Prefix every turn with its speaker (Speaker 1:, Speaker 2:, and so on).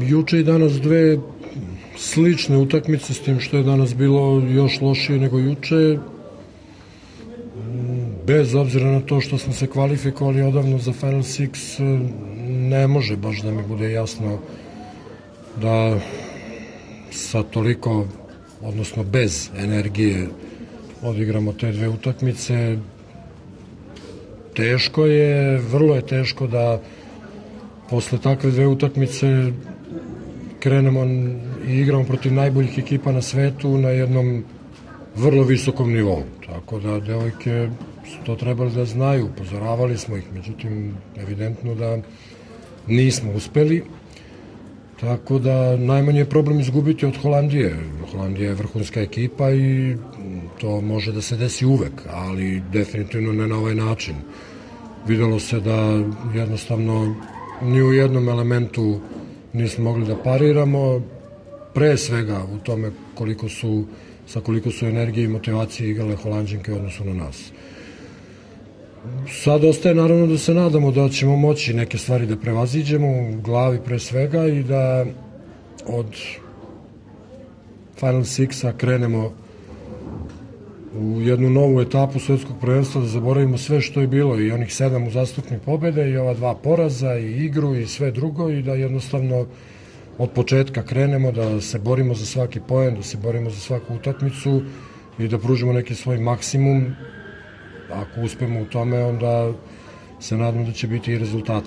Speaker 1: juče i danas dve slične utakmice, s tim što je danas bilo još lošije nego juče. Bez obzira na to što smo se kvalifikovali odavno za Final Six, ne može baš da mi bude jasno da sa toliko, odnosno bez energije, odigramo te dve utakmice. Teško je, vrlo je teško da posle takve dve utakmice krenemo i igramo protiv najboljih ekipa na svetu na jednom vrlo visokom nivou. Tako da devojke su to trebali da znaju, upozoravali smo ih, međutim, evidentno da nismo uspeli. Tako da najmanji je problem izgubiti od Holandije. Holandija je vrhunska ekipa i to može da se desi uvek, ali definitivno ne na ovaj način. Videlo se da jednostavno ni u jednom elementu nismo mogli da pariramo, pre svega u tome sa koliko su energije i motivacije igrale Holanđanke u odnosu na nas. Sad ostaje naravno da se nadamo da ćemo moći neke stvari da prevaziđemo u glavi pre svega i da od Final Sixa krenemo u jednu novu etapu svetskog prvenstva, da zaboravimo sve što je bilo, i onih 7 uzastopnih pobjede i ova 2 poraza i igru i sve drugo, i da jednostavno od početka krenemo, da se borimo za svaki poen, da se borimo za svaku utakmicu i da pružimo neki svoj maksimum. Ako uspemo u tome, onda se nadam da će biti i rezultat.